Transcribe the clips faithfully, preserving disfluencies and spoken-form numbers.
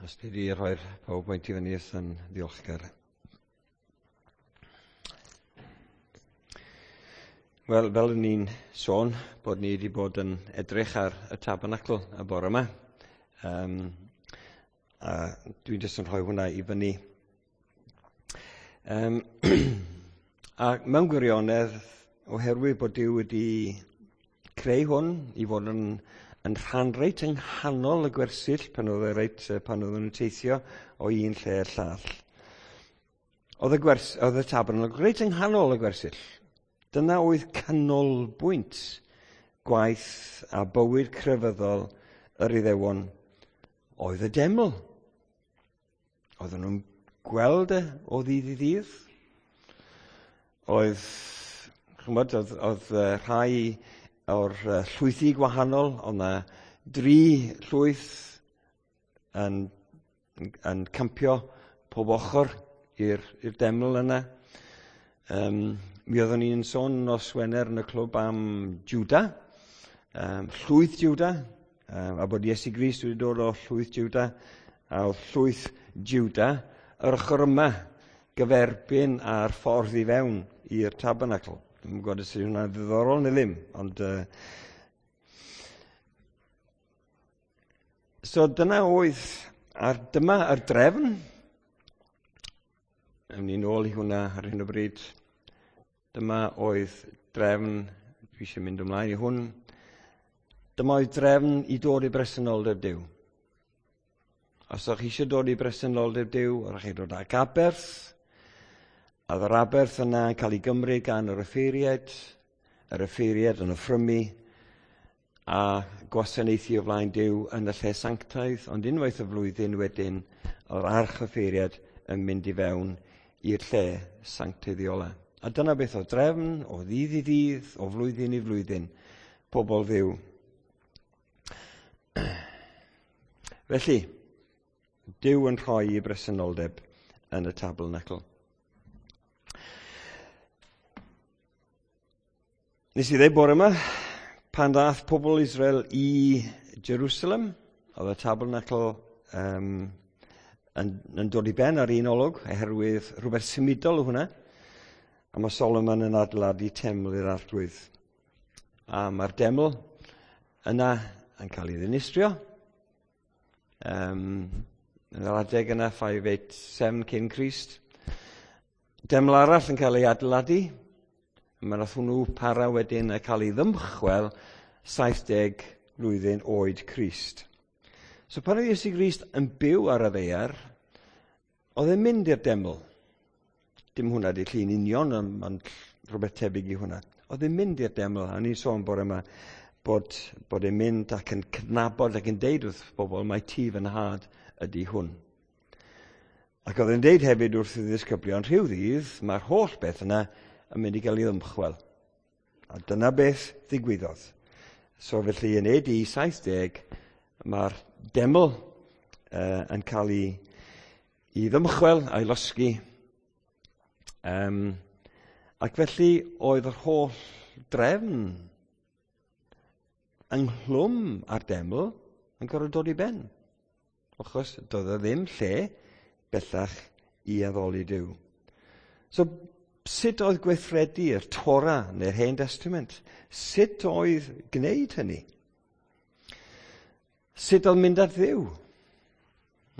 Os ti wedi rhoi'r PowerPoint i fyny, yn ddiolchgar. Wel, fel o'n i'n sôn, bod ni wedi bod yn edrych ar y tabernacl y bore yma. Um, a dwi'n jyst yn rhoi hwnna i fyny. Um, a mewn gwirionedd, oherwydd bod Duw wedi creu hwn i fod yn yn rhan reit yng nghanol y gwersyll pan oedd e reit, pan oedden nhw'n teithio o un lle i'r llall. Oedd y, gwers, oedd y tabernacl reit yng nghanol y gwersyll. Dyna oedd canolbwynt gwaith a bywyd crefyddol yr Iddewon oedd y deml. Oedden nhw'n gweld e o ddydd i ddydd. Oedd, chymod, oedd, oedd rhai o'r llwythi gwahanol, oedd yna dri llwyth yn, yn campio pob ochr i'r, i'r deml yna. Um, mi oeddwn ni'n sôn nos Wener yn y clwb am Juda, um, llwyth Juda, um, a bod Iesu Grist wedi dod o llwyth Juda, a oedd llwyth Juda yr ochr yma gyferbyn a'r ffordd i fewn i'r tabernacl. Dwi'n gwybod os yw hwnna'n ddiddorol neu ddim, ond... Uh, so dyna oedd, a'r dyma yr drefn. Ewn ni nôl i hwnna ar hyn o bryd. Dyma oedd drefn, dwi eisiau mynd ymlaen i hwn. Dyma oedd drefn i dod i bresenoldeb Duw. Os o'ch chi eisiau dod i bresenoldeb Duw, o'ch chi dod ag aberth, a oedd yr aberth yna yn cael ei gymryd gan yr offeiriaid, yr offeiriaid yn offrymu, a gwasanaethu o flaen Duw yn y lle sanctaidd, ond unwaith y flwyddyn wedyn, oedd arch offeiriad yn mynd i fewn i'r lle sancteiddiola. A dyna beth oedd drefn, o ddydd i ddydd, o flwyddyn i flwyddyn, pobl Dduw. Felly, Duw yn rhoi ei bresenoldeb yn y tabernacl. Nes i ddweud bore yma, pan ddath pobl Israel i Jerusalem, oedd y tabernacl um, yn, yn dod i ben ar un olwg, oherwydd rhywbeth symudol o hwnna, a mae Solomon yn adeiladu teml i'r Arglwydd. A mae'r deml yna yn cael ei ddinistrio. Um, yn yr adeg yna, five eight seven cyn Crist. Deml arall yn cael ei adeiladu. Mae nath hwnnw para wedyn a cael ei ddymchwel saith deg blwyddyn oed Crist. So pan oedd Iesu Grist yn byw ar y ddaear, oedd e'n mynd i'r deml. Dim hwnna di llun union, ond rhywbeth tebyg i hwnna. Oedd e'n mynd i'r deml, a ni'n sôn bore yma bod, bod e'n mynd ac yn cydnabod ac yn deud wrth bobl, mae tŷ fy nhad ydy hwn. Ac oedd e'n deud hefyd wrth y ddisgyblion, rhyw ddydd, mae'r holl beth yna yn mynd i gael ei ddymchwel. A dyna beth ddigwyddodd. So felly yn A D saith deg, mae'r deml uh, yn cael ei, ei ddymchwel a'i losgi. Um, ac felly oedd yr holl drefn ynghlwm â'r deml yn gorfod dod i ben. Achos doedd e ddim lle bellach i addoli Duw. So sut oedd gweithredu'r Torah neu'r Hen Testament? Sut oedd gwneud hynny? Sut oedd mynd at Dduw?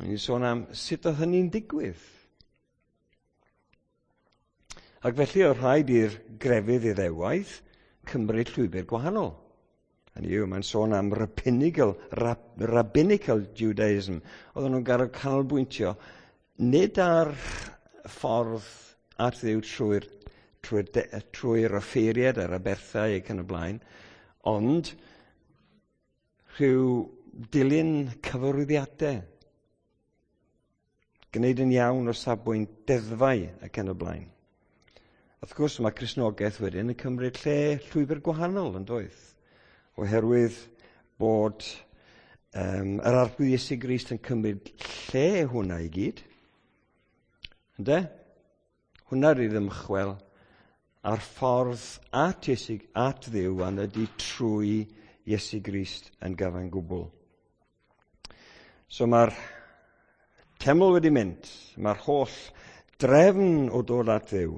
Ni'n sôn am sut oedd hynny'n digwydd. Ac felly oedd rhaid i'r grefydd Iddewaidd cymryd llwybr gwahanol. Hynny yw, mae'n sôn am rabbinical, rab, rabbinical Judaism. Oedden nhw'n gorfod canolbwyntio nid ar ffordd at Dduw trwy'r trwy trwy offeiriad a'r aberthau ac yn y blaen, ond rhyw dilyn cyfarwyddiadau, gwneud yn iawn o safbwynt deddfau ac yn y blaen. Wrth gwrs, mae Cristnogaeth wedyn yn cymryd lle llwybr gwahanol yn doedd, oherwydd bod um, yr Arglwydd Iesu Grist yn cymryd lle hwnna i gyd. Ynde? Hwnna rhydd ymchwel a'r ffordd at Iesu, at Dduw a'n ydy trwy Iesu Grist yn gyfan gwbl. So mae'r Teml wedi mynd, mae'r holl drefn o dod at Dduw,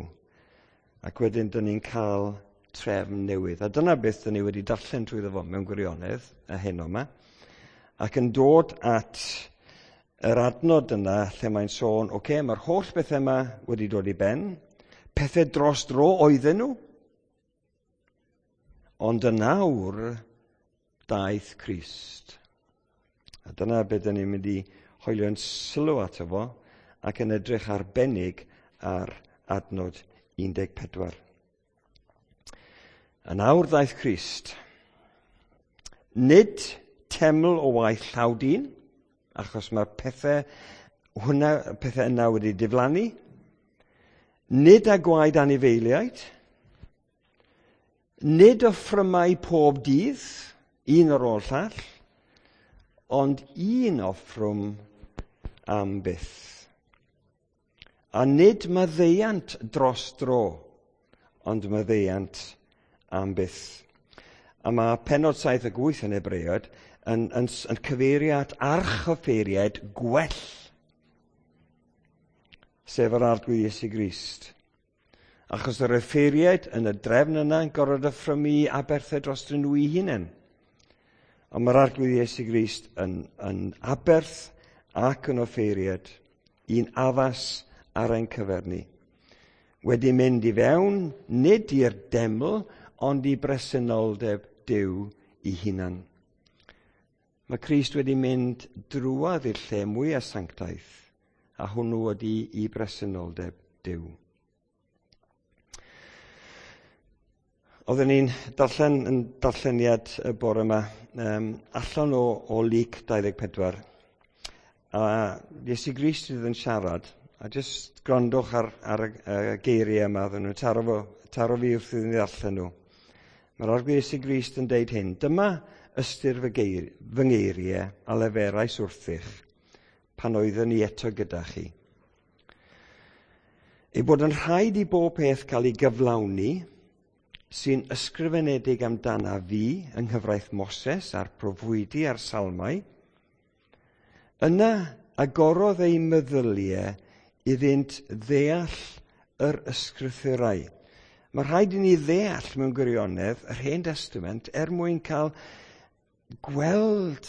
ac wedyn dyn ni'n cael trefn newydd. A dyna beth dyn ni wedi darllen trwyddo fo mewn gwirionedd y heno yma. Ac yn dod at yr adnod yna lle mae'n sôn, oce, okay, mae'r holl bethau yma wedi dod i ben, pethau dros dro oedden nhw, ond yn awr daeth Crist. A dyna beth dyn ni'n mynd i hoelio'n sylw ato fo ac yn edrych arbennig ar adnod un deg pedwar. Yn awr ddaeth Crist. Nid teml o waith llaw dyn, achos mae'r pethau, hwnna, pethau yna wedi diflannu. Nid â gwaed anifeiliaid. Nid offrymau pob dydd, un ar ôl llall, ond un offrwm am byth. A nid maddeuant dros dro, ond maddeuant am byth. A mae pennod saith ac wyth yn Hebreaid yn, yn, yn cyfeirio at archoffeiriaid gwell, sef yr Arglwydd Iesu Grist. Achos yr offeiriaid yn y drefn yna yn gorfod offrymu aberthau dros nhw eu hunain. Ond mae'r Arglwydd Iesu Grist yn, yn aberth ac yn offeiriad, un addas ar ein cyfer ni. Wedi mynd i fewn, nid i'r deml, ond i bresenoldeb Duw ei hunan. Mae Crist wedi mynd drwadd i'r lle mwyaf sanctaidd, a hwnnw wedi i bresenoldeb Duw. Oedden ni'n darllen yn darlleniad y bore yma, um, allan o, o Luc dau ddeg pedwar, a Iesu Grist sydd yn siarad, a jyst gwrandwch ar, ar y, y geiriau yma, oedden nhw'n taro, fo, taro fi wrth iddyn ni ddarllen nhw. Mae'r Arglwydd Iesu Grist yn deud hyn, dyma ystyr fy, geir, fy ngeiriau a leferais wrthych pan oeddwn i eto gyda chi. Ei bod yn rhaid i bob peth cael ei gyflawni sy'n ysgrifenedig amdana fi yng nghyfraith Moses a'r proffwydi a'r salmau, yna agorodd eu meddyliau iddynt ddeall yr ysgrythurau. Mae rhaid i ni ddeall mewn gwirionedd yr Hen Testament er mwyn cael gweld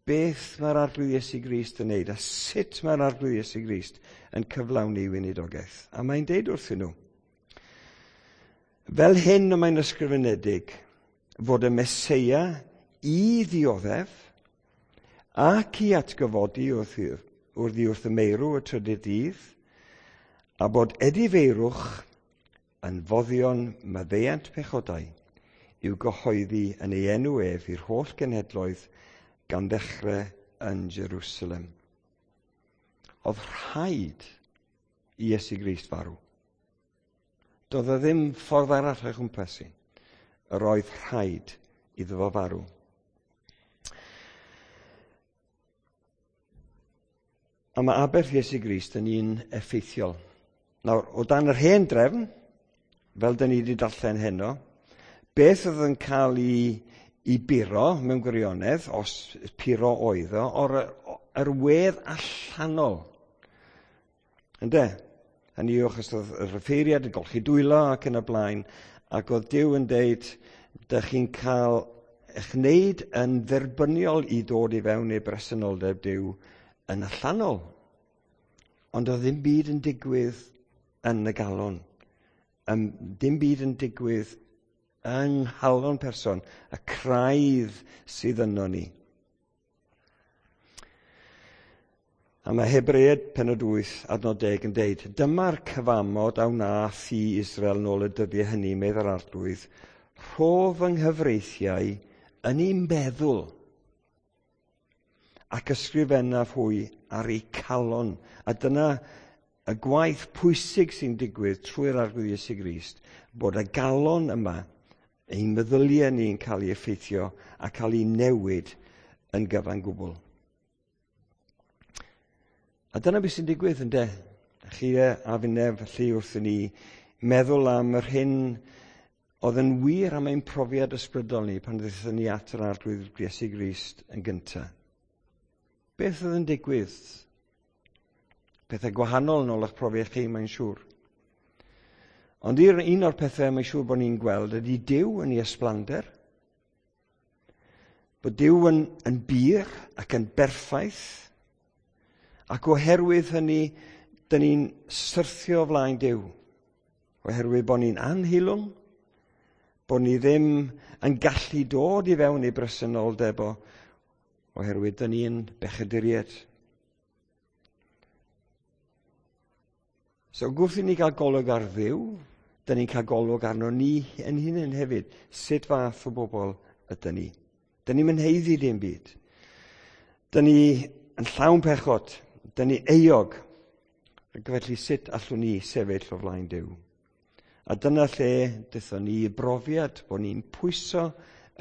beth mae'r Arglwydd Iesu Grist yn neud a sut mae'r Arglwydd Iesu Grist yn cyflawni weinidogaeth. A mae'n deud wrthyn nhw, fel hyn y mae'n ysgrifenedig fod y Meseia i ddioddef ac i atgyfodi wrth, wrth, wrth y meirw y trydydd dydd, a bod edifeirwch yn foddion maddeuant pechodau i'w gyhoeddi yn ei enw ef i'r holl genhedloedd gan ddechrau yn Jerusalem. Oedd rhaid i Iesu Grist farw. Doedd e ddim ffordd arall o'i chwmpas i. Yr oedd rhaid iddo fo farw. A mae aberth Iesu Grist yn un effeithiol. Nawr, o dan yr hen drefn, fel dyn ni wedi darllen heno, beth oedd yn cael ei, ei buro mewn gwirionedd, os puro oedd o, o'r yr wedd allanol. Ynde? Hynny yw, achos oedd yr offeiriad yn golchi dwylo ac yn y blaen, ac oedd Duw yn deud, dych chi'n cael eich wneud yn dderbyniol i ddod i fewn i bresenoldeb Duw yn allanol. Ond oedd ddim byd yn digwydd yn y galon. Um, dim byd yn digwydd yng nghalon person, y craidd sydd yno ni. A mae Hebreaid pennod wyth adnod deg yn deud, dyma'r cyfamod a wnaeth i Israel nôl y dyddiau hynny, medd yr Arglwydd, rho fy nghyfreithiau yn eu meddwl ac ysgrifennaf hwy ar eu calon. A dyna y gwaith pwysig sy'n digwydd trwy'r Arglwydd Iesu Grist, bod y galon yma, ein meddyliau ni'n cael ei effeithio a cael ei newid yn gyfan gwbl. A dyna beth sy'n digwydd, ynde? Chi a finne felly wrth i ni meddwl am yr hyn oedd yn wir am ein profiad ysbrydol ni pan ddaethon ni at yr Arglwydd Iesu Grist yn gyntaf. Beth oedd yn digwydd Pethau gwahanol yn ôl eich profiad chi, mae'n siŵr. Ond un o'r pethau mae'n siŵr bod ni'n gweld ydy Duw yn ei ysblander. Bod Duw yn, yn bur ac yn berffaith. Ac oherwydd hynny, dyn ni'n syrthio flaen Duw. Oherwydd bod ni'n anheilwng, bod ni ddim yn gallu dod i fewn i bresenoldeb o, oherwydd dyn ni'n bechaduriaid. So gwrth i ni gael golwg ar Dduw, dyn ni'n cael golwg arno ni yn hunain hefyd. Sut fath o bobl ydyn ni? Dyn ni'n haeddu dim byd. Dyn ni yn llawn pechod. Dyn ni euog. Ac felly sut allwn ni sefyll o flaen Duw? A dyna lle dethon ni i brofiad bod ni'n pwyso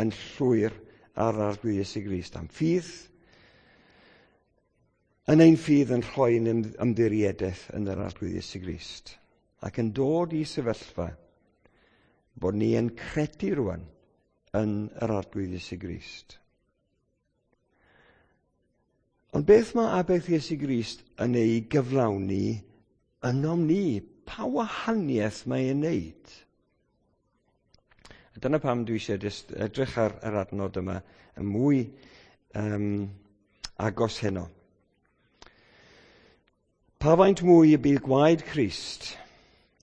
yn llwyr ar Arglwydd Iesu Grist am ffydd, yn ein ffydd yn rhoi yn ymddiriedaeth yn yr Arglwydd Iesu Grist ac yn dod i sefyllfa bod ni yn credu rwan yn yr Arglwydd Iesu Grist. Ond beth mae aberth Iesu Grist yn ei gyflawni ynom ni? Pa wahaniaeth mae e'n wneud? A dyna pam dwi eisiau just edrych ar yr adnod yma yn mwy um, agos heno. Pa faint mwy y bydd gwaed Crist,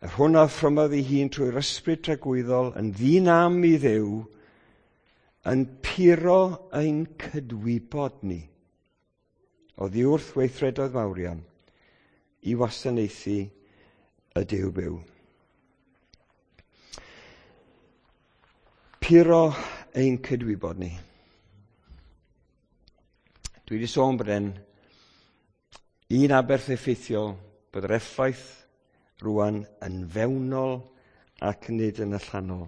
yr hwn a offrymodd ei hun trwy'r ysbryd tragwyddol yn ddinam i Dduw, yn puro ein cydwybod ni oddi wrth weithredoedd mawrion i wasanaethu y Duw byw. Puro ein cydwybod ni. Dwi wedi sôn bod e'n un aberth effeithiol, bod yr effaith rwan yn fewnol ac nid yn allanol.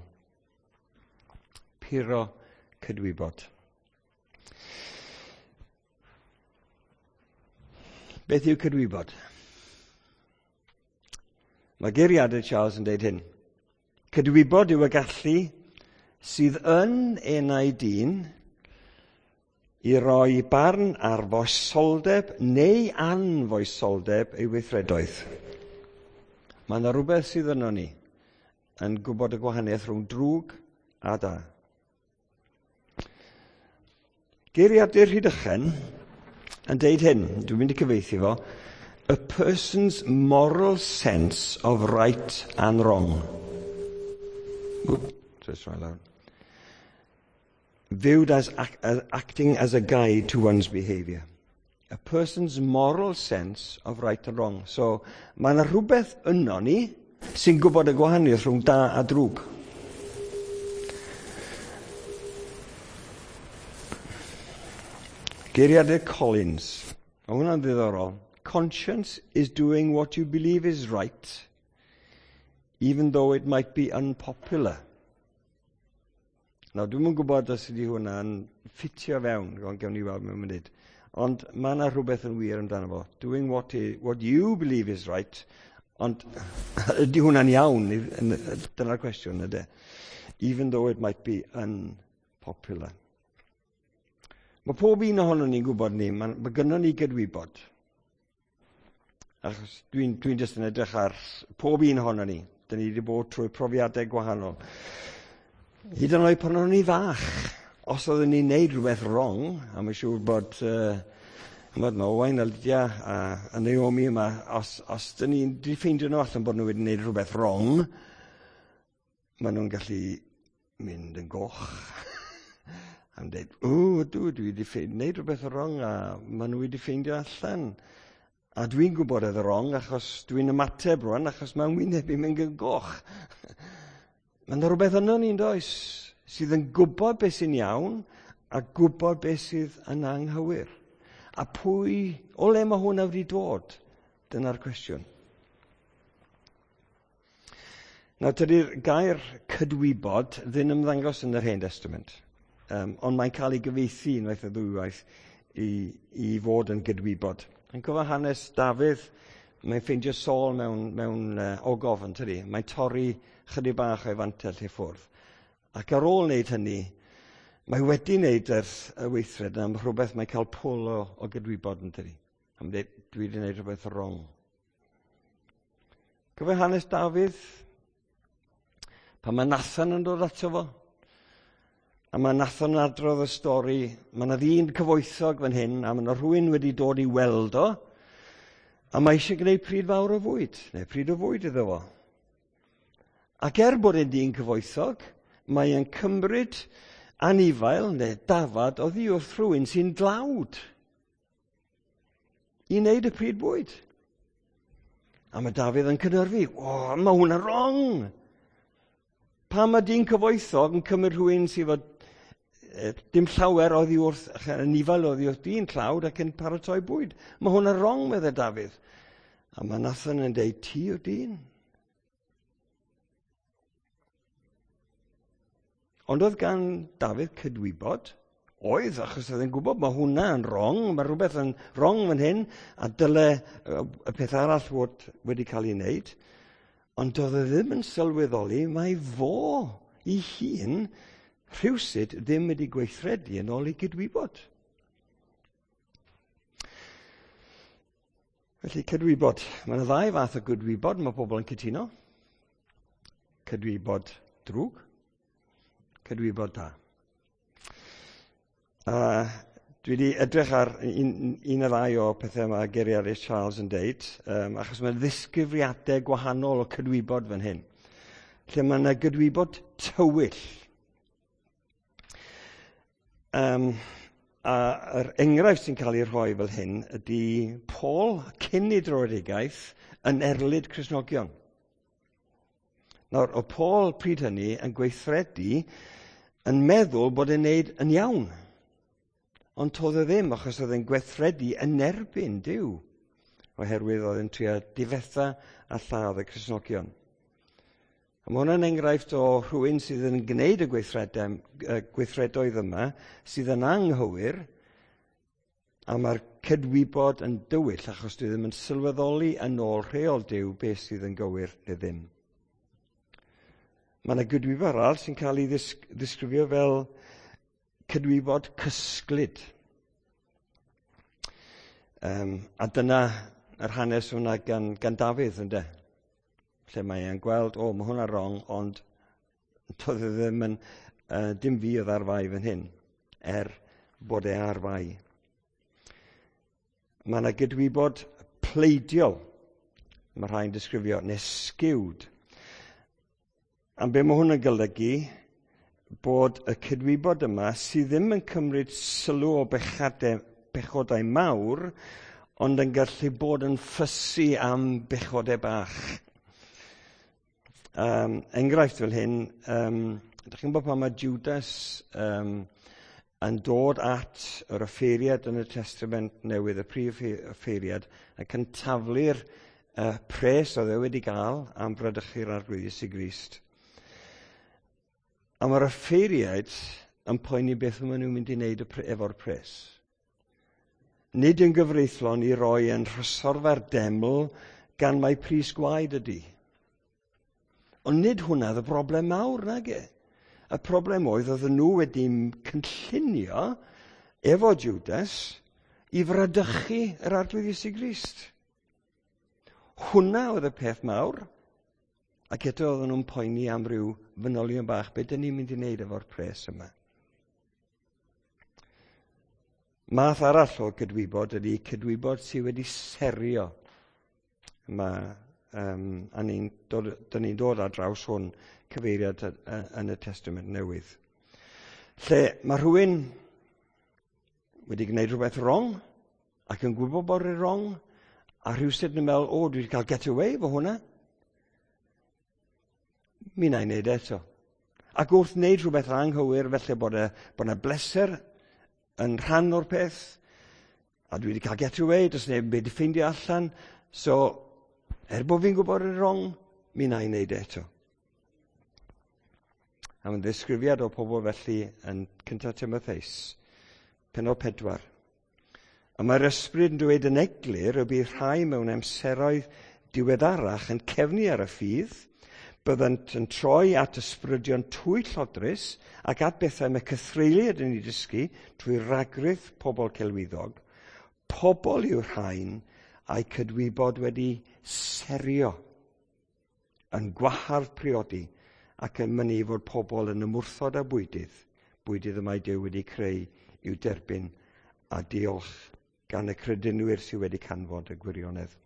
Puro cydwybod. Beth yw cydwybod? Mae geiriadur Charles yn dweud hyn. Cydwybod yw y gallu sydd yn enau dyn i roi barn ar foesoldeb neu anfoesoldeb ei weithredoedd. Mae yna rhywbeth sydd yno ni yn gwybod y gwahaniaeth rhwng drwg a da. Geiriadur Rhydychen yn deud hyn, dwi'n mynd i cyfieithu fo, a person's moral sense of right and wrong. Whoop, just right loud. Viewed as, act, as acting as a guide to one's behaviour. A person's moral sense of right and wrong. So, mae yna rhywbeth yno ni sy'n gwybod y gwahaniaeth rhwng da a drwg. Geiriadur Collins. Mae hwnna'n ddiddorol. Conscience is doing what you believe is right, even though it might be unpopular. Nawr, dwi'm yn gwybod os ydy hwnna'n ffitio fewn, ond gewn ni weld mewn munud. Ond mae yna rhywbeth yn wir amdano fo. Doing what, i, what you believe is right, ond ydy hwnna'n iawn? Dyna'r cwestiwn, ydy. Even though it might be unpopular. Mae pob un ohonon ni'n gwybod ni, mae, mae gynnon ni gydwybod. Achos dwi'n dwi jyst yn edrych ar pob un ohonon ni. Dyn ni wedi bod trwy profiadau gwahanol. Hyd yn oed pan o'n ni fach, os oeddwn ni'n neud rhywbeth wrong, a mae'n siŵr bod, uh, mae Owain a Lydia a, a Naomi yma, os, os dyn ni'n di ffeindio nhw allan bod nhw wedi neud rhywbeth wrong, maen nhw'n gallu mynd yn goch. Am dweud, o, dwi, dwi wedi ffeindio, neud rhywbeth wrong, a maen nhw wedi ffeindio allan. A dwi'n gwybod oedd wrong, achos dwi'n ymateb rwan, achos mae'n wyneb i'n mynd yn goch. Mae yna rhywbeth yno ni'n does, sydd yn gwybod beth sy'n iawn a gwybod beth sydd yn anghywir. A pwy, o le mae hwnna wedi dod? Dyna'r cwestiwn. Nawr, tydi'r gair cydwybod ddim ymddangos yn yr Hen Testament, um, ond mae'n cael ei gyfieithu unwaith a ddwywaith i, i fod yn gydwybod. Yn cofio hanes Dafydd, mae'n ffeindio Saul mewn, mewn uh, ogof yn tydi. Mae'n torri chydig bach o'i fantell i ffwrdd. Ac ar ôl wneud hynny, mae wedi wneud yr, y weithred am rhywbeth mae'n cael pwl o, o gydwybod yn tydi. Am dweud, dwi wedi wneud rhywbeth wrong. Cofio hanes Dafydd? Pan mae Nathan yn dod ato fo, a mae Nathan yn adrodd y stori, mae yna ddyn cyfoethog fan hyn, a mae yna rhywun wedi dod i weld o, a mae eisiau gwneud pryd fawr o fwyd, neu pryd o fwyd iddo fo. Ac er bod e'n dyn cyfoethog, mae e'n cymryd anifail neu dafad oddi wrth rhywun sy'n dlawd i wneud y pryd bwyd. A mae Dafydd yn cynhyrfu, o, mae hwnna'n wrong! Pam mae dyn cyfoethog yn cymryd rhywun sydd fod dim llawer oddi wrth, anifail oddi wrth dyn tlawd ac yn paratoi bwyd. Mae hwnna'n wrong, meddai Dafydd. A mae Nathan yn deud, ti yw'r dyn. Ond oedd gan Dafydd cydwybod? Oedd, achos oedd e'n gwybod mae hwnna yn wrong, mae rhywbeth yn wrong fan hyn, a dyle y peth arall fod wedi cael ei wneud. Ond doedd e ddim yn sylweddoli mai fo ei hun rhywsut ddim wedi gweithredu yn ôl ei gydwybod. Felly cydwybod. Mae yna ddau fath o gydwybod mae pobl yn cytuno. Cydwybod drwg, cydwybod da. A dwi wedi edrych ar un, un o ddau o pethau mae Gary Harris Charles yn deud, um, achos mae ddisgrifiadau gwahanol o cydwybod fan hyn. Lle mae yna gydwybod tywyll. Um, a yr enghraifft sy'n cael ei rhoi fel hyn ydy Paul cyn ei dröedigaeth yn erlid Cristnogion. Nawr, o Paul pryd hynny yn gweithredu yn meddwl bod e'n neud yn iawn. Ond toedd e ddim, achos oedd e'n gweithredu yn erbyn Duw, oherwydd oedd e'n trio difetha a lladd y Cristnogion. A mae hwnna'n enghraifft o rhywun sydd yn gwneud y gweithredoedd yma, sydd yn anghywir, a mae'r cydwybod yn dywyll, achos dwi ddim yn sylweddoli yn ôl rheol Duw beth sydd yn gywir neu ddim. Mae yna gydwybod arall sy'n cael ei ddisgrifio fel cydwybod cysglyd. Um, a dyna yr hanes hwnna gan, gan Dafydd, ynde? Lle mae e'n gweld, o, mae hwnna wrong, ond doedd e ddim yn, uh, dim fi oedd ar fai fan hyn, er bod e ar fai. Mae yna gydwybod pleidiol, mae rhai'n disgrifio, neu skewed. A be mae hwn yn golygu, bod y cydwybod yma sydd ddim yn cymryd sylw o bechadau, pechodau mawr, ond yn gallu bod yn ffysu am bechodau bach. Um, enghraifft fel hyn, um, ydych chi'n gwybod pan mae Judas um, yn dod at yr offeiriad yn y Testament Newydd, y prif offeiriad, ac yn taflu'r uh, pres oedd e wedi gael am bradychu'r Arglwydd Iesu Grist. A mae'r offeiriaid yn poeni beth maen nhw'n mynd i wneud efo'r pres. Nid yn gyfreithlon i roi yn rhysorfa'r deml gan mai pris gwaed ydy. Ond nid hwnna oedd y broblem mawr, nage. Y broblem oedd oedden nhw wedi cynllunio efo Judas i fradychu yr Arglwydd Iesu Grist. Hwnna oedd y peth mawr. Ac eto oedden nhw'n poeni am ryw fanylion bach, be dyn ni'n mynd i wneud efo'r pres yma? Math arall o gydwybod ydy cydwybod sydd wedi serio. Mae, um, a ni'n dod, dyn ni'n dod ar draws hwn cyfeiriad yn y Testament Newydd. Lle mae rhywun wedi gwneud rhywbeth wrong ac yn gwybod bod e'n wrong, a rhywsut yn meddwl, o, dwi wedi cael get away efo hwnna. Mi wna i wneud eto. Ac wrth wneud rhywbeth anghywir, felly bod e, bod yna bleser yn rhan o'r peth, a dwi wedi cael get away, does neb wedi ffeindio allan, so er bod fi'n gwybod yn wrong, mi wna i wneud eto. A mae'n ddisgrifiad o pobl felly yn cyntaf Timotheus, pennod pedwar. A mae'r ysbryd yn dweud yn eglur y bydd rhai mewn amseroedd diweddarach yn cefnu ar y ffydd, byddant yn troi at ysbrydion twyllodrus ac at bethau mae cythreuliad yn ei dysgu trwy ragrith pobl celwyddog. Pobl yw'r rhain a'i cydwybod wedi serio. yn gwahardd priodi ac yn mynnu fod pobl yn ymwrthod â bwydydd, bwydydd y mae Duw wedi creu i'w derbyn a diolch gan y credinwyr sydd wedi canfod y gwirionedd.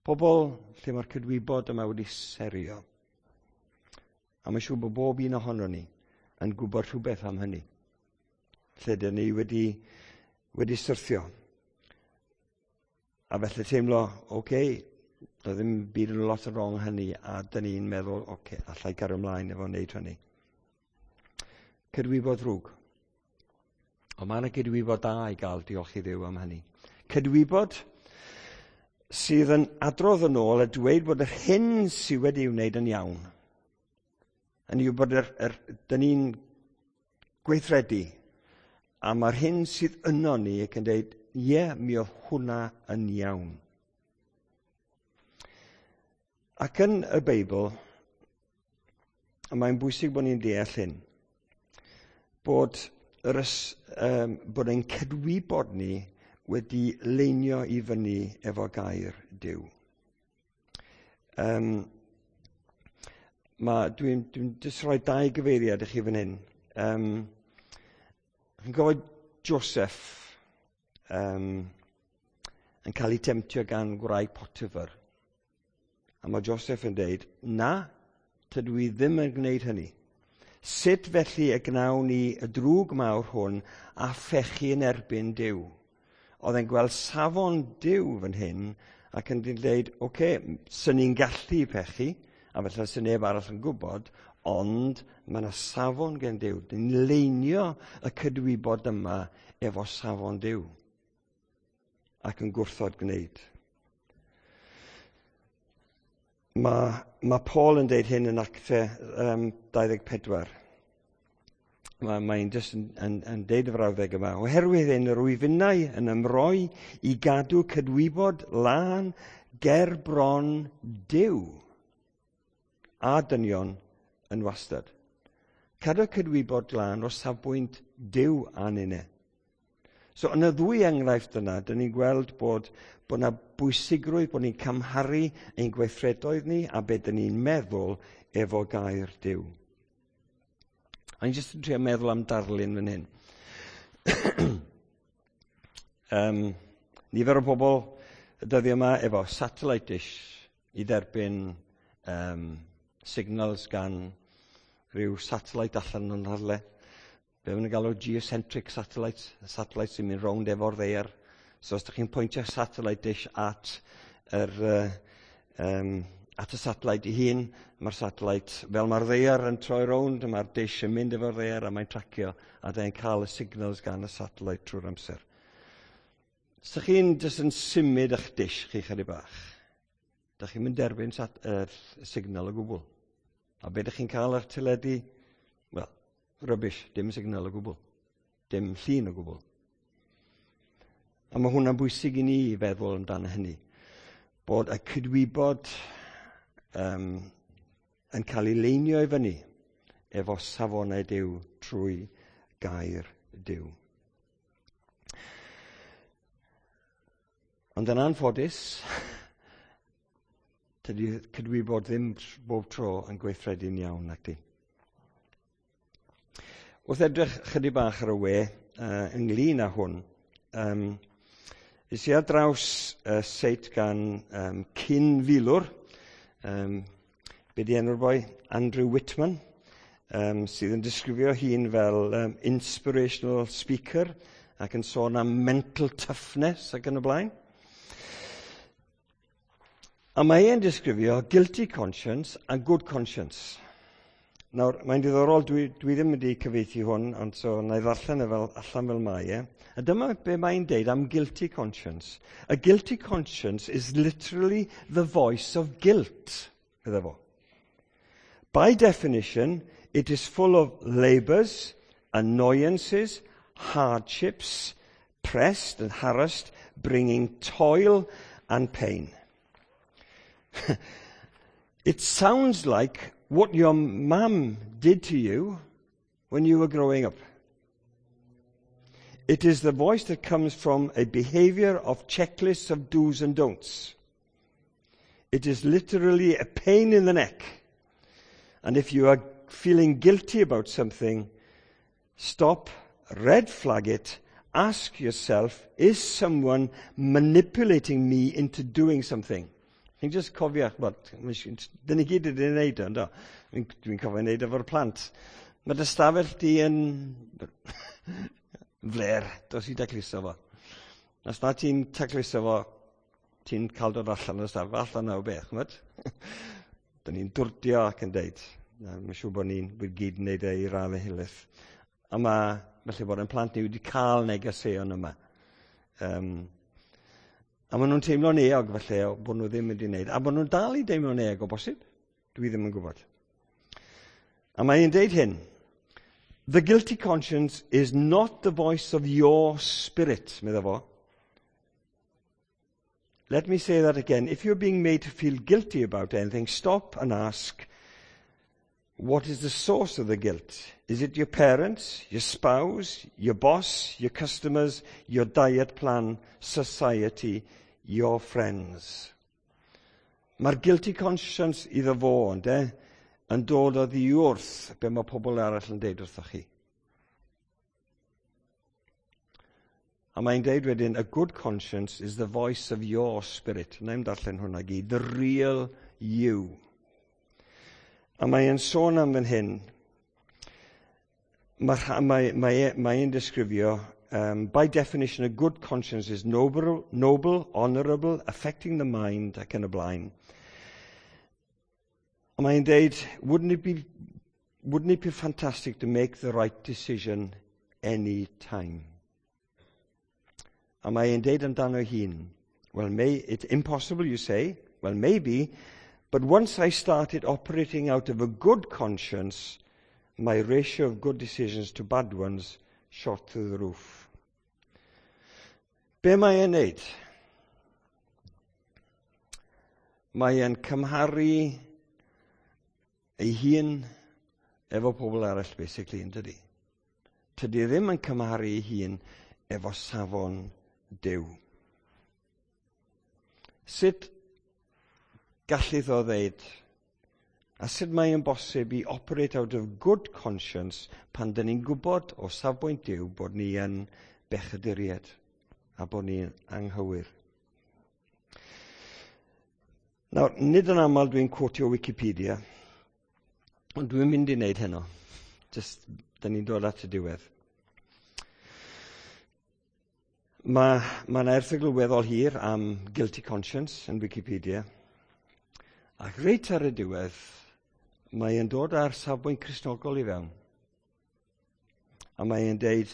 Pobl lle mae'r cydwybod yma wedi serio. A mae'n siŵr bod bob un ohono ni yn gwybod rhywbeth am hynny. Lle dyn ni wedi, wedi syrthio. A felly teimlo, oce, okay, doedd ddim byd yn lot o wrong hynny, a dyn ni'n meddwl, oce, okay, allai gario ymlaen efo wneud hynny. Cydwybod ddrwg. Ond mae yna gydwybod da i gael, diolch i Dduw am hynny. Cydwybod sydd yn adrodd yn ôl a dweud bod yr hyn sydd wedi ei wneud yn iawn. Yn yw bod yr, yr, dyn ni'n gweithredu a mae'r hyn sydd yno ni ac yn dweud, ie, yeah, mi oedd hwnna yn iawn. Ac yn y Beibl, a mae'n bwysig bod ni'n deall hyn, bod, yr ys, um, bod ein cydwybod ni wedi leinio i fyny efo gair Duw. Um, Dwi'n dwi jyst rhoi dau gyfeiriad i chi fan hyn. Um, chi'n gofio Joseph um, yn cael ei temtio gan gwraig Potiphar. A mae Joseph yn deud, na, tydw i ddim yn gwneud hynny. Sut felly y gnawn ni y drwg mawr hwn a phechu yn erbyn Duw? Oedd e'n gweld safon Duw fan hyn ac yn dweud, oce, okay, sy'n ni'n gallu pechu, a felly sy'n neb arall yn gwybod, ond mae yna safon gen Duw. Dyn leinio y cydwybod yma efo safon Duw ac yn gwrthod gwneud. Mae, mae Paul yn deud hyn yn Actau um, dau ddeg pedwar. Mae'n mae jyst yn, yn, yn deud y frawddeg yma. Oherwydd hyn, yr wyf innau yn ymroi i gadw cydwybod lân ger bron Duw a dynion yn wastad. Cadw cydwybod lân o safbwynt Duw a ninne. So yn y ddwy enghraifft yna, dyn ni'n gweld bod, bod yna bwysigrwydd, bod ni'n cymharu ein gweithredoedd ni a be dyn ni'n meddwl efo gair Duw. A ni'n jyst yn trio meddwl am darlun fan hyn. um, nifer o bobl y dyddiau yma efo satellite dish i dderbyn um, signals gan rhyw satellite allan yn rhywle. Be maen nhw'n galw geocentric satellites, satellites sy'n mynd rownd efo'r ddaear. So os ydych chi'n pwyntio satellite dish at, yr, uh, um, at y satellite ei hun, mae'r satellite, fel mae'r ddaear yn troi rownd, mae'r dish yn mynd efo'r ddaear a mae'n tracio, a dyn cael y signals gan y satellite trwy'r amser. Os ydych chi'n jyst yn symud eich dish chi chydig bach, ydych chi'n mynd derbyn sat, er, signal o gwbl. A be ydych chi'n cael ar teledu? Wel, rubbish, dim signal o gwbl. Dim llun o gwbl. A mae hwnna'n bwysig i ni i feddwl amdano hynny. Bod y cydwybod um, yn cael ei leinio i fyny efo safonau Duw trwy gair Duw. Ond yn anffodus, tydi cydwybod ddim bob tro yn gweithredu'n iawn, nac di. Wrth edrych chydig bach ar y we uh, ynglyn â hwn, um, es i ar draws uh, seit gan um, cyn-filwr, um, be di enw'r boi? Andrew Whitman, um, sydd yn disgrifio hun fel um, inspirational speaker ac yn sôn am mental toughness ac yn y blaen. A mae e'n disgrifio guilty conscience a good conscience. Nawr, mae'n diddorol, dwi, dwi ddim wedi cyfieithu hwn, ond so na i ddarllen e fel, allan fel mae e. A dyma be mae'n deud am guilty conscience. A guilty conscience is literally the voice of guilt, iddo fo. By definition, it is full of labours, annoyances, hardships, pressed and harassed, bringing toil and pain. It sounds like what your mum did to you when you were growing up. It is the voice that comes from a behavior of checklists of do's and don'ts. It is literally a pain in the neck. And if you are feeling guilty about something, stop, red flag it, ask yourself, is someone manipulating me into doing something? Chi'n just cofio, ch'mod, dyn ni gyd wedi wneud o, ynddo? Dwi'n cofio wneud efo'r plant. Mae dy stafell di yn fler, dos i dacluso fo. Os na ti'n tacluso fo, ti'n cael dod allan o'r stafell, allan o beth, ch'mod? Dyn ni'n dwrdio ac yn deud. Mae'n siŵr bod ni'n wedi gyd yn neud e i raddau helaeth. A mae, felly bod yn plant ni wedi cael negeseuon yma. Um, a maen nhw'n teimlo'n euog felly bod nhw ddim wedi wneud. A bod nhw'n dal i deimlo'n euog o bosib. Dwi ddim yn gwybod. A mae'n deud hyn. The guilty conscience is not the voice of your spirit, medda fo. Let me say that again. If you're being made to feel guilty about anything, stop and ask, what is the source of the guilt? Is it your parents, your spouse, your boss, your customers, your diet plan, society, your friends? Mae'r guilty conscience iddo fo, ynde, yn dod oddi wrth be mae pobl arall yn deud wrthoch chi. A mae'n deud wedyn, a good conscience is the voice of your spirit. Na i'm darllen hwnna gyd. The real you. A mae'n sôn am fan hyn. Mae, mae, mae, mae'n disgrifio, um, by definition, a good conscience is noble, noble, honourable, affecting the mind, ac yn y blaen. A mae'n deud, wouldn't it be, wouldn't it be fantastic to make the right decision any time? A mae'n deud amdano hun, well, may, it's impossible, you say. Well, maybe, but once I started operating out of a good conscience, my ratio of good decisions to bad ones shot through the roof. Be mae e'n neud? Mae e'n cymharu ei hun efo pobl arall, basically, yn dydi? Tydi ddim yn cymharu ei hun efo safon Duw. Sut gallith o ddeud, a sut mae'n bosib i operate out of good conscience pan dyn ni'n gwybod o safbwynt Duw bod ni yn bechaduriaid a bod ni'n anghywir. Nawr, nid yn aml dwi'n quotio Wikipedia, ond dwi'n mynd i wneud heno. Just, dyn ni'n dod at y diwedd. Mae ma yna erthygl weddol hir am guilty conscience yn Wikipedia. Ac reit ar y diwedd, mae e'n dod ar safbwynt Cristnogol i fewn. A mae e'n deud,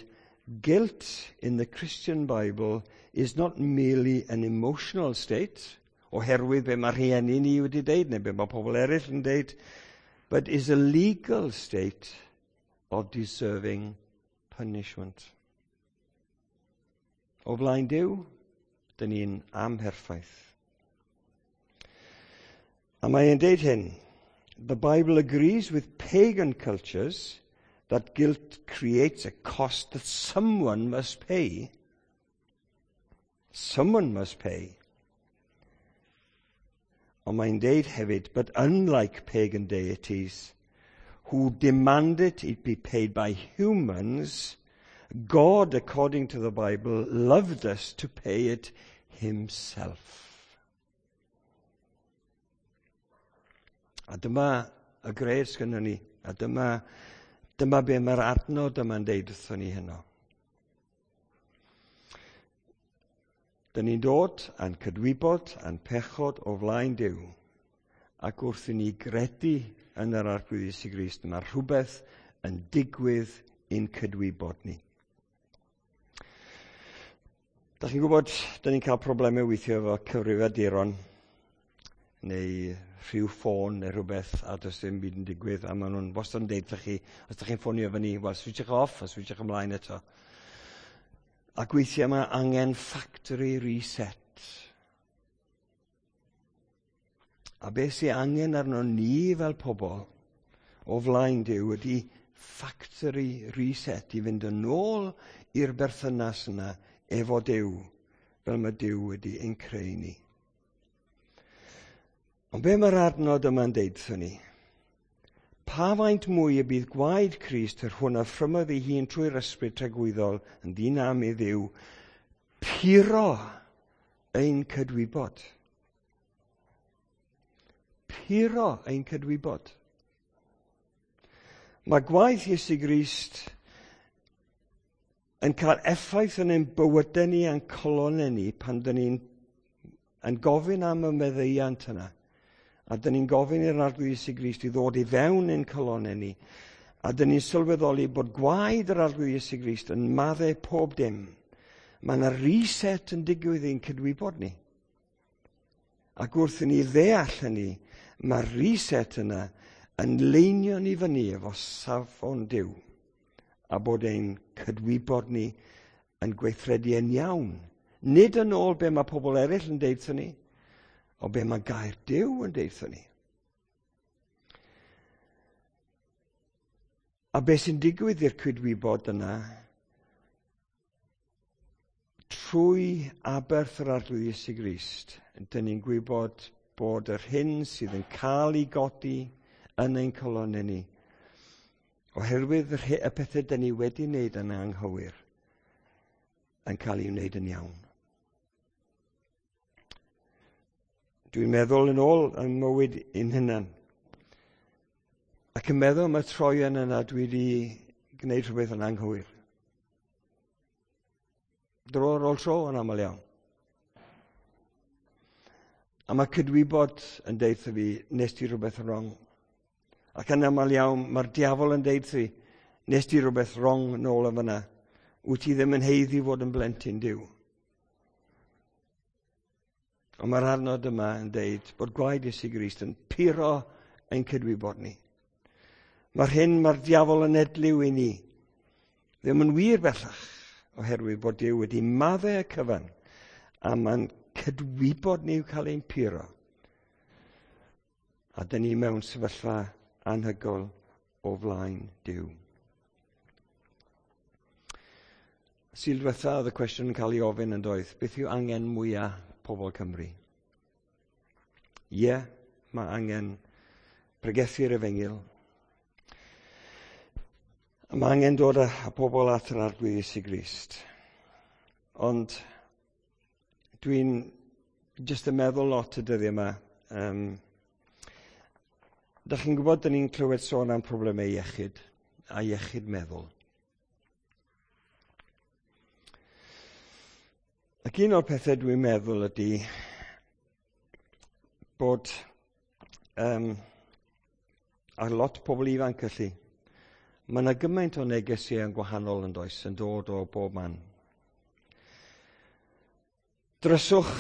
guilt in the Christian Bible is not merely an emotional state, oherwydd be mae rhieni ni wedi deud, neu be mae pobl eraill yn deud, but is a legal state of deserving punishment. O flaen Duw, dyn ni'n amherffaith. A mae e'n deud hyn, the Bible agrees with pagan cultures that guilt creates a cost that someone must pay. Someone must pay. Ond mae'n deud hefyd, but unlike pagan deities who demanded it be paid by humans, God, according to the Bible, loved us to pay it himself. A dyma y gres gynnon ni, a dyma, dyma be mae'r adnod yma'n deud wrthon ni heno. Dyn ni'n dod a'n cydwybod a'n pechod o flaen Duw, ac wrth i ni gredu yn yr Arglwydd Iesu Grist, mae rhywbeth yn digwydd i'n cydwybod ni. Da chi'n gwybod, dyn ni'n cael problemau weithio efo cyfrifiaduron neu rhyw ffôn neu rhywbeth a does dim byd yn digwydd a maen nhw'n wastad yn deud wrthych chi, os da chi'n ffonio efo ni, wel, switchwch off a switchwch ymlaen eto. Ac weithiau mae angen factory reset. A beth sy'n angen arno ni fel pobl o flaen Duw ydy factory reset i fynd yn ôl i'r berthynas yna efo Duw, fel mae Duw wedi ein creu ni. Ond be mae'r adnod yma'n deud wrthon ni? Pa faint mwy y bydd gwaed Crist, yr hwn a offrymodd ei hun trwy'r ysbryd tragwyddol yn ddinam i Dduw, puro ein cydwybod. Puro ein cydwybod. Mae gwaith Iesu Grist yn cael effaith yn ein bywydau ni a'n calonnau ni pan dyn ni'n yn gofyn am y meddeiant yna. A dyn ni'n gofyn i'r Arglwydd Iesu Grist i ddod i fewn ein calonnau ni. A dyn ni'n sylweddoli bod gwaed yr Arglwydd Iesu Grist yn maddau pob dim. Mae yna reset yn digwydd i'n cydwybod ni. Ac wrth i ni ddeall hynny, mae'r reset yna yn leinio ni fyny efo safon Duw. A bod ein cydwybod ni yn gweithredu yn iawn. Nid yn ôl be mae pobl eraill yn deud wrthon ni, o be mae gair Duw yn deud wrthon ni. A be sy'n digwydd i'r cydwybod yna, trwy aberth yr Arglwydd Iesu Grist, dyn ni'n gwybod bod yr hyn sydd yn cael ei godi yn ein calonnau ni, oherwydd yr y pethau dyn ni wedi wneud yn anghywir, yn cael ei wneud yn iawn. Dwi'n meddwl yn ôl yn mywyd ein hunan. Ac yn meddwl am y troion yna dwi wedi gwneud rhywbeth yn anghywir. Dro ar ôl tro yn aml iawn. A mae cydwybod yn deud wrtho fi, nes ti rhywbeth wrong. Ac yn aml iawn, mae'r diafol yn deud wrtho fi, nes ti rhywbeth wrong nôl yn fyna. Wyt ti ddim yn haeddu fod yn blentyn Duw. Ond mae'r adnod yma yn deud bod gwaed Iesu Grist yn puro ein cydwybod ni. Mae'r hyn mae'r diafol yn edliw i ni ddim yn wir bellach, oherwydd bod Duw wedi maddau y cyfan, a mae'n cydwybod ni i'w cael ein puro. A dyn ni mewn sefyllfa anhygoel o flaen Duw. Sul diwetha oedd y cwestiwn yn cael ei ofyn yn doedd, beth yw angen mwyaf pobl Cymru? Ie, yeah, mae angen pregethu'r efengyl. Mae angen dod â pobl at yr Arglwydd Iesu Grist. Ond dwi'n jyst yn meddwl lot y dyddiau yma. Um, Dach chi'n gwybod, dyn ni'n clywed sôn am problemau iechyd a iechyd meddwl. Ac un o'r pethau dwi'n meddwl ydy bod um, ar lot o pobl ifanc felly, mae yna gymaint o negeseuon yn gwahanol yn does, yn dod o bob man. Dryswch,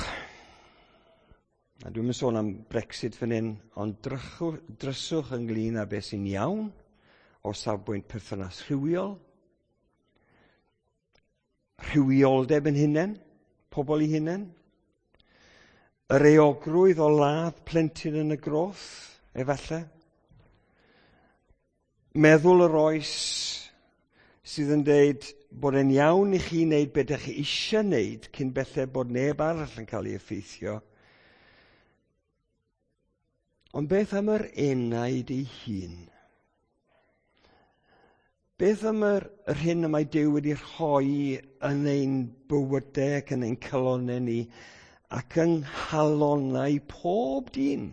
a dwi'n mynd sôn am Brexit fan hyn, ond drychw, dryswch ynglyn â beth sy'n iawn o safbwynt perthynas rhywiol, rhywioldeb yn hunain, pobl i hunain, yr euogrwydd o ladd plentyn yn y groth, efallai, meddwl yr oes sydd yn deud bod e'n iawn i chi wneud beth ydych chi eisiau wneud cyn belled bod neb arall yn cael ei effeithio. Ond beth am yr enaid ei hun? Beth am yr, yr hyn y mae Duw wedi rhoi yn ein bywydau ac yn ein calonnau ni ac yng nghalonnau pob dyn?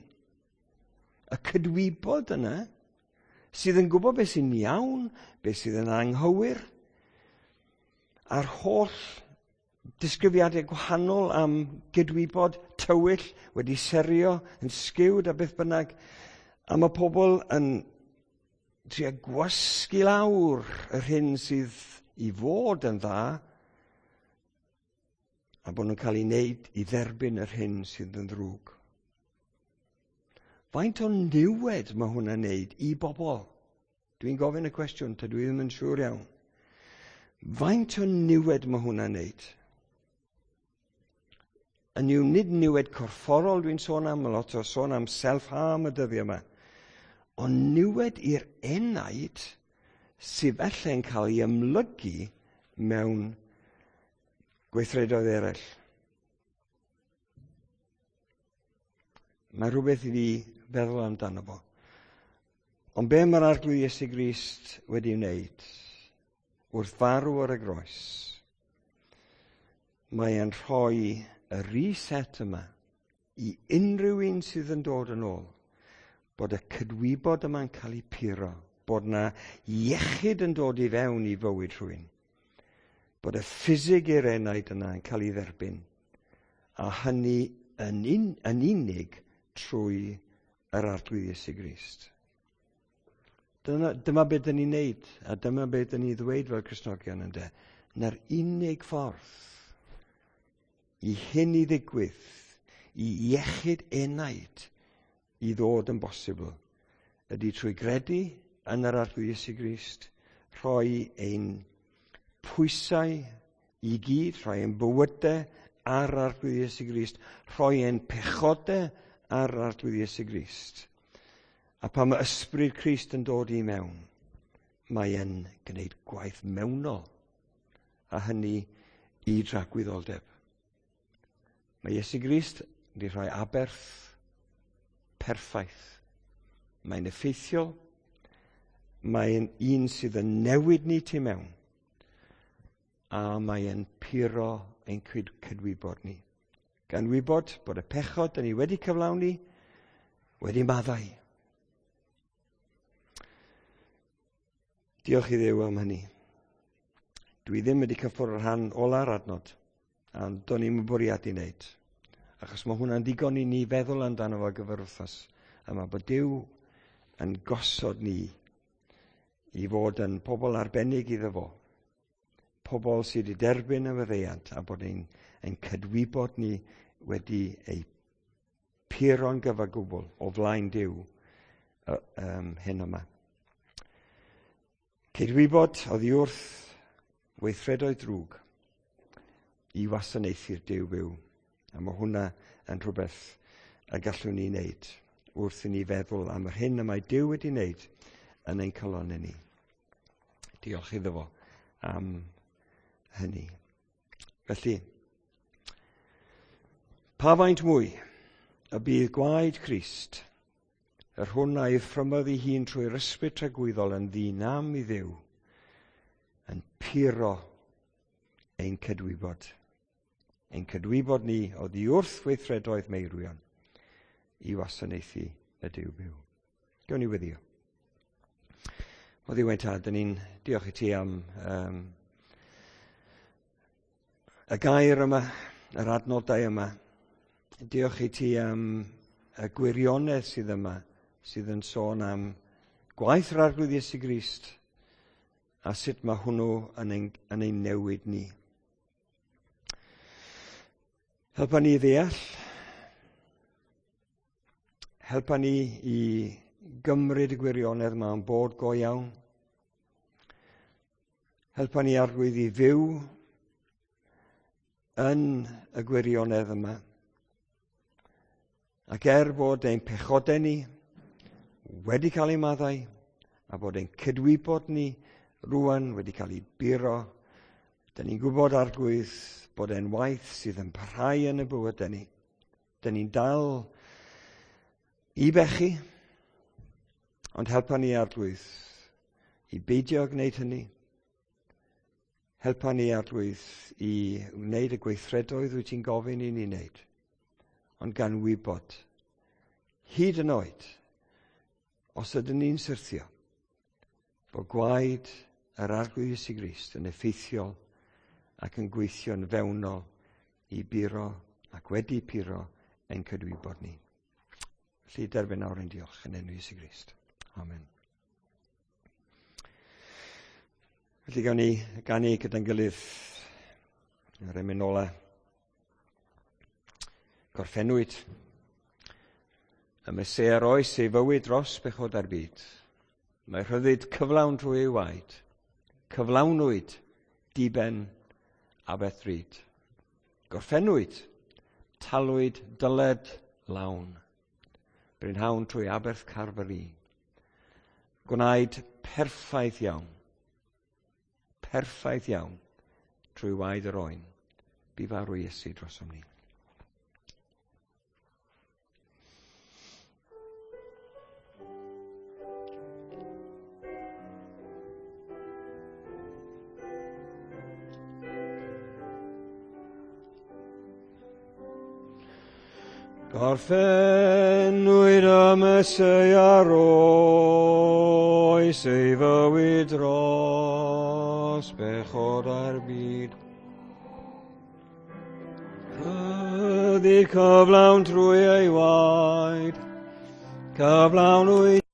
Y cydwybod yna sydd yn gwybod beth sy'n iawn, beth sydd yn anghywir, a'r holl disgrifiadau gwahanol am gydwybod tywyll wedi serio, yn sgewd a beth bynnag, a mae pobl yn trio gwasgu lawr yr hyn sydd i fod yn dda, a bod nhw'n cael ei wneud i dderbyn yr hyn sydd yn ddrwg. Faint o niwed mae hwnna'n wneud i bobl? Dwi'n gofyn y cwestiwn, tydw i ddim yn siŵr iawn. Faint o niwed mae hwnna'n wneud? Yn yw nid niwed corfforol dwi'n sôn am, lot o sôn am self-harm y dyddiau yma, ond niwed i'r enaid sydd felly'n cael ei ymlygu mewn gweithredoedd eraill. Mae rhywbeth i fi feddwl amdano fo. Ond be mae'r Arglwydd Iesu Grist wedi wneud wrth farw ar y groes, mae e'n rhoi y reset yma i unrhyw un sydd yn dod yn ôl, bod y cydwybod yma'n cael ei puro, bod na iechyd yn dod i fewn i fywyd rhywun, bod y ffisig i'r enaid yna yn cael ei dderbyn, a hynny yn, un, yn unig trwy yr Arglwydd Iesu Grist. Dyna, dyma beth dyn ni'n neud, a dyma beth dyn ni'n ddweud fel Cristnogion ynde. Na'r unig ffordd i hyn i ddigwydd, i iechyd enaid i ddod yn bosibl, ydy trwy gredu yn yr Arglwydd Iesu Grist, rhoi ein pwysau i gyd, rhoi ein bywydau ar Arglwydd Iesu Grist, rhoi ein pechodau ar Arglwydd Iesu Grist. A pan mae ysbryd Crist yn dod i mewn, mae e'n gwneud gwaith mewnol, a hynny i dragwyddoldeb. Mae Iesu Grist wedi rhoi aberth perffaith. Mae'n effeithiol, mae'n un sydd yn newid ni tu mewn, a mae'n puro ein cydwybod ni. Gan wybod bod y pechod dyn ni wedi cyflawni wedi maddau. Diolch i Dduw am hynny. Dwi ddim wedi cyffwrdd yr rhan ola'r adnod, a do'n i'm yn bwriadu wneud. Achos mae hwnna'n ddigon i ni feddwl amdano fo gyfer wythnos yma, bod Duw yn gosod ni i fod yn pobl arbennig iddo fo. Pobl sydd wedi derbyn y faddeuant a bod ein, ein cydwybod ni wedi ei puro'n gyfagwbl o flaen Duw um, hyn yma. Cydwybod oddi wrth weithredoedd drwg i wasanaethu'r Duw byw. A mae hwnna yn rhywbeth y gallwn ni wneud wrth i ni feddwl am yr hyn y mae Duw wedi wneud yn ein calonnau ni. Diolch iddo fo am hynny. Felly, pa faint mwy y bydd gwaed Crist, yr hwn a'i ffrymodd ei hun trwy'r ysbryd tragwyddol yn ddinam i Dduw, yn puro ein cydwybod. Ein cydwybod ni oddi wrth weithredoedd meirwion i wasanaethu y Duw byw. Gawn ni weddïo. O Dduw ein Tad, dyn ni'n diolch i ti am um, y gair yma, yr adnodau yma. Diolch i ti am y gwirionedd sydd yma, sydd yn sôn am gwaith yr Arglwydd Iesu Grist a sut mae hwnnw yn ein, yn ein newid ni. Helpa ni i ddeall, helpa ni i gymryd y gwirionedd yma yn bod go iawn. Helpa ni Arglwydd i fyw yn y gwirionedd yma. Ac er bod ein pechodau ni wedi cael eu maddau, a bod ein cydwybod ni rwan wedi cael ei buro, dyn ni'n gwybod Arglwydd bod e'n waith sydd yn parhau yn y bywydau ni. Dyn ni'n dal i bechu, ond helpa ni Arglwydd i beidio gwneud hynny. Helpa ni Arglwydd i wneud y gweithredoedd wyt ti'n gofyn i ni wneud, ond gan wybod, hyd yn oed, os ydyn ni'n syrthio, bod gwaed yr Arglwydd Iesu Grist yn effeithiol ac yn gweithio'n fewnol i buro ac wedi puro ein cydwybod ni. Felly derbyn nawr ein diolch yn enw Iesu Grist. Amen. Felly gawn ni ganu gyda'n gilydd yr emyn ola. Gorffennwyd y Meseia roes ei fywyd dros bechod ar byd. Mae rhyddid cyflawn trwy ei waed. Cyflawnwyd diben aberth drud. Gorffennwyd, talwyd dyled lawn. Brynhawn trwy aberth Calfari. Gwnaed perffaith iawn. Perffaith iawn trwy waed yr oen. Bu farw Iesu drosom ni. Gorffennwyd y Meseia roes ei fywyd dros bechod a'r byd. Rhyddid cyflawn trwy ei waed, cyflawnwyd